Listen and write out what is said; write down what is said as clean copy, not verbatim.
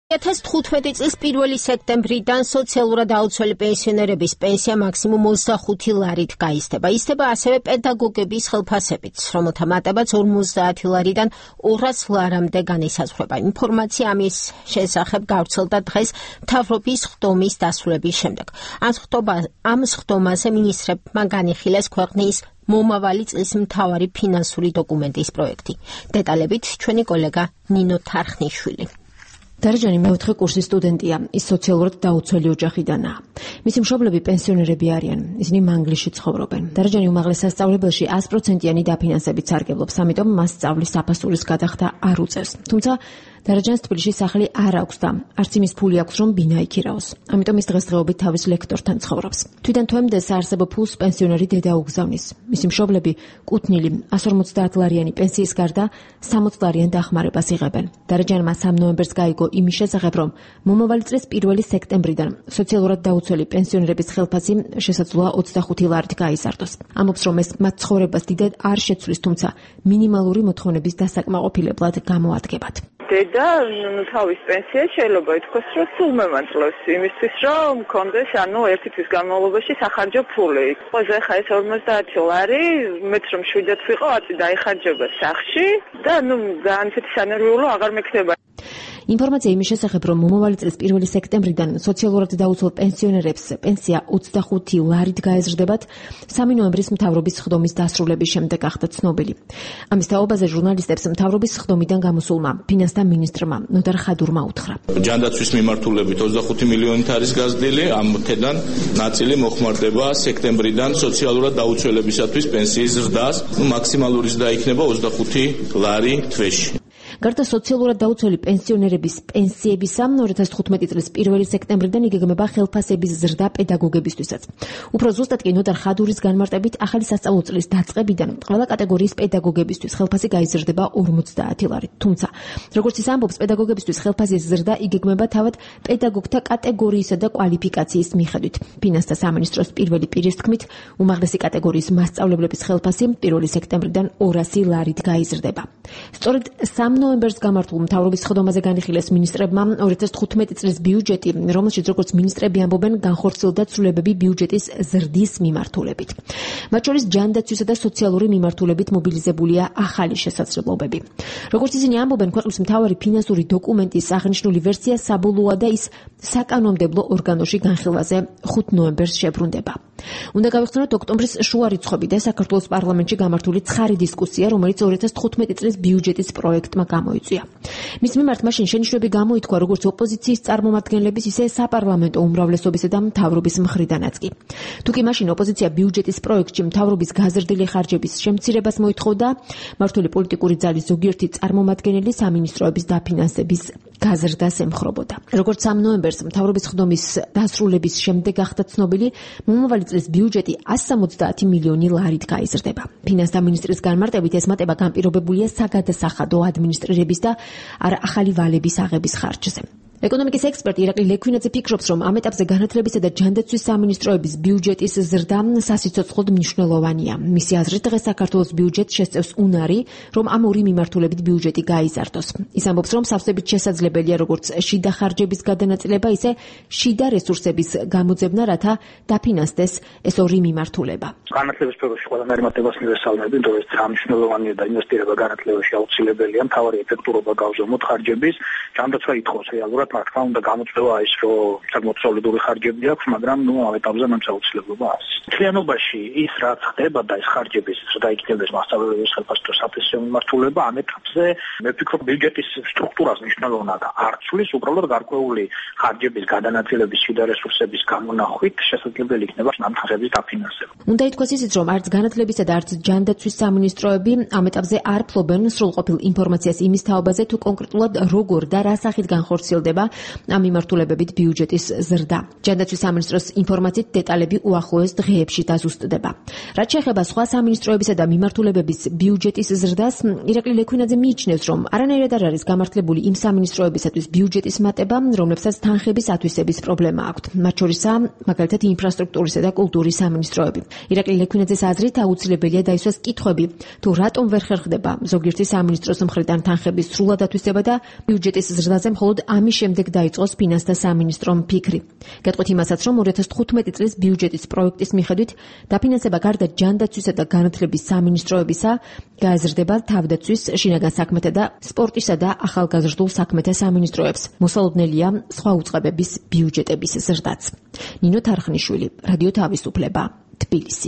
2015 წლის 1 სექტემბრიდან სოციალურად აუცველი პენსიონერების პენსია მაქსიმუმ 25 ლარით გაიზრდება. ისრდება ასევე პედაგოგების ხელფასებიც, რომელთა მატებაც 50 ლარიდან 200 ლარამდე განისაზღვრება. ინფორმაცია ამის შესახებ გავრცელდა დღეს მთავრობის ხდომის დასრულების შემდეგ. ამ ხდომაზე მინისტრებმა განიხილეს ქვეყნის მომავალი წლის მთავარი ფინანსური დოკუმენტის პროექტი. დეტალებით ჩვენი კოლეგა ნინო თარხნიშვილი. დარეჯანი მეოთხე კურსის სტუდენტია, ის სოციალურად დაუცველი ოჯახიდანაა. მისი მშობლები პენსიონერები არიან, ისინი მანგლისში ცხოვრობენ. დარეჯანი უმაღლეს სასწავლებელში 100%-იანი დაფინანსებით სარგებლობს, ამიტომ მას სწავლის საფასურის გადახდა არ უწევს. თუმცა დარეჯანს თბილისში სახლი არ აქვს და არც იმის ფული აქვს, რომ ბინა იქირაოს. ამიტომ ის დღესდღეობით თავის ლექტორთან ცხოვრობს. თვითონ თვემდეს საარსებო ფულს პენსიონერი დედა უგზავნის. მისი მშობლები კუთვნილი 150 ლარიანი პენსიის გარდა 60 ლარიან დახმარებას იღებენ. დარეჯანმა 3 ნოემბერს გაიგო იმის შესახებ, რომ მომავალი წლის 1 სექტემბრიდან სოციალურად დაუცველი პენსიონერების ხელფასი შესაძლოა 25 ლარით გაიზარდოს. ამბობს, რომ ეს მათ ცხოვრებას დიდად არ შეცვლის, თუმცა მინიმალური მოთხოვნების დასაკმაყოფილებლად გამოადგებათ. დედა თავის პენსიას შეიძლება ითქვას, რომ სულ მემანწლებს იმისთვის, რომ მქონდეს ერთი თვის განმავლობაში სახარჯო ფული. ყველაზე ხა ეს 50 ლარი, მეც რომ 7-ად ვიყო, აწი დაიხარჯება სახში და განცეთი სანერვიულო აღარ მექნება. ინფორმაცია იმის შესახებ, რომ მომავალი წლის 1 სექტემბრიდან სოციალურად დაუცველ პენსიონერებს პენსია 25 ლარით გაეზრდებათ, 3 ნოემბრის მთავრობის ხდომის დასრულების შემდეგ გახდა ცნობილი. ამის თაობაზე ჟურნალისტებს მთავრობის ხდომიდან გამოსულმა ფინანსთა მინისტრმა ნოდარ ხადურმა უთხრა. ჯანდაცვის მიმართულებით 25 მილიონით არის გაზრდილი, ამ თედან ნაწილი მოხმარდება სექტემბრიდან სოციალურად დაუცველებისათვის პენსიის ზრდას, მაქსიმალური ზრდა იქნება 25 ლარი თვეში. გარდა სოციალურად დაუცველი პენსიონერების პენსიებისა, 2015 წლის 1 სექტემბრიდან იგეგმება ხელფასების ზრდა პედაგოგებისთვისაც. უფრო ზუსტად კი ნოდარ ხადურის განმარტებით, ახალი სასწავლო წლის დაწყებიდან ყველა კატეგორიის პედაგოგებისთვის ხელფასი გაიზრდება 50 ლარით. თუმცა, როგორც ის ამბობს, პედაგოგებისთვის ხელფასის ზრდა იგეგმება თავად პედაგოგთა კატეგორიისა და კვალიფიკაციის მიხედვით. ფინანსთა სამინისტროს პირველი პირის თქმით, უმაღლესი კატეგორიის მასწავლებლების ხელფასი 1 სექტემბრიდან 200 ლარით გაიზრდება. სწორედ 3 ნოემბერს გამართულ მთავრობის ხდომაზე განიხილეს მინისტრებმა 2015 წლის ბიუჯეტი, რომელშიც როგორც მინისტრები ამბობენ, განხორციელდა ცვლილებები ბიუჯეტის ზრდის მიმართულებით. მათ შორის ჯანდაცვისა და სოციალური მიმართულებით მობილიზებულია ახალი შესაძლებლობები. როგორც ისინი ამბობენ, ქვეყნის მთავარი ფინანსური დოკუმენტის აღნიშნული ვერსია საბოლოოა და ის საკანონმდებლო ორგანოში განხილვაზე 5 ნოემბერს შებრუნდება. უნდა გავიხსენოთ ოქტომბრის შუა რიცხვები და საქართველოს პარლამენტში გამართული ცხარი დისკუსია, რომელიც 2015 წლის ბიუჯეტის პროექტმა გამოიწვია. მის მიმართ მაშინ შენიშვნები გამოითქვა როგორც ოპოზიციის წარმომადგენლების, ისე საპარლამენტო უმრავლესობისა და მთავრობის მხრიდანაც კი. თუკი მაშინ ოპოზიცია ბიუჯეტის პროექტში მთავრობის გაზრდილი ხარჯების შემცირებას მოითხოვდა, მმართველი პოლიტიკური ძალის ზოგიერთი წარმომადგენელი სამინისტროების დაფინანსების გაზრდას ემხრობოდა. როგორც 3 ნოემბერს მთავრობის ხდომის დასრულების შემდეგ გახდა ცნობილი, მომავალი წლის ბიუჯეტი 170 მილიონი ლარით გაიზრდება. ფინანსთა მინისტრის განმარტებით ეს მატება განპირობებულია საგადასახადო ადმინისტრირების და არა ახალი ვალების აღების ხარჯზე. ეკონომიკის ექსპერტი ირაკლი ლექვინაძე ფიქრობს, რომ ამ ეტაპზე განათლებისა და ჯანდაცვის სამინისტროების ბიუჯეტის ზრდა სასიცოცხლოდ მნიშვნელოვანია. მისი აზრით, დღეს საქართველოს ბიუჯეტს შესწევს უნარი, რომ ამ ორი მიმართულებით ბიუჯეტი გაიზარდოს. ის ამბობს, რომ სავსებით შესაძლებელია როგორც შიდა ხარჯების გადანაწილება, ისე შიდა რესურსების გამოძებნა, რათა დაფინანსდეს ეს ორი მიმართულება. განათლების სფეროში ყველანაირი მატებას მივესალმები, რომ ეს მნიშვნელოვანია და ინვესტირება განათლებაში აუცილებელია, მთავარი ეფექტურობა გავზომოთ ხარჯების, ჯანდაცვა ითხოვს რეალურად. რა თქმა უნდა გამოწვევა ის, რომ საკმაოდ სოლიდური ხარჯები აქვს, მაგრამ ამ ეტაპზე მან აუცილებლობა არის. მთლიანობაში ის რაც ხდება და ეს ხარჯების ზრდა იქნებდეს მასშტაბების ხელფასთა საფასურის მიმართულება, ამ ეტაპზე მე ვფიქრობ ბიუჯეტის სტრუქტურას მნიშვნელოვნად არ ცვლის, უბრალოდ გარკვეული ხარჯების გადანაწილების შიდა რესურსების გამონახვით შესაძლებელი იქნება ამ ხარჯების დაფინანსება. უნდა ითქვას ისიც, რომ არც განათლებისა და არც ჯანდაცვის სამინისტროები ამ ეტაპზე არ ფლობენ სრულყოფილ ინფორმაციას იმის თაობაზე, თუ კონკრეტულად როგორ და რა სახით განხორციელდება ამ მიმართულებებით ბიუჯეტის ზრდა. ჯანდაცვის სამინისტროს ინფორმაციით დეტალები უახლოეს დღეებში დაზუსტდება. რაც შეეხება სხვა სამინისტროებისა და მიმართულებების ბიუჯეტის ზრდას, ირაკლი ლექვინაძე მიიჩნევს, რომ არანაირად არ არის გამართლებული იმ სამინისტროებისათვის ბიუჯეტის მატება, რომლებსაც თანხების ათვისების პრობლემა აქვთ. მათ შორისაა მაგალითად ინფრასტრუქტურისა და კულტურის სამინისტროები. ირაკლი ლექვინაძეს აზრით აუცილებელია დაისვას კითხვები, თუ რატომ ვერ ხერხდება ზოგიერთი სამინისტროს მხრიდან თანხების სრულად ათვისება და ბიუჯეტის ზრდაზე მხოლოდ ამის შემდეგ დაიწყოს ფინანსთა სამინისტრომ ფიქრი. გეტყვით იმასაც, რომ 2015 წლის ბიუჯეტის პროექტის მიხედვით დაფინანსება გარდა ჯანდაცვისა და განათლების სამინისტროებისა გააზრდება თავდაცვის, შინაგან საქმეთა და სპორტისა და ახალგაზრდულ საქმეთა სამინისტროებს. მოსალოდნელია სხვა უწყებების ბიუჯეტების ზრდაც. ნინო თარხნიშვილი, რადიო თავისუფლება, თბილისი.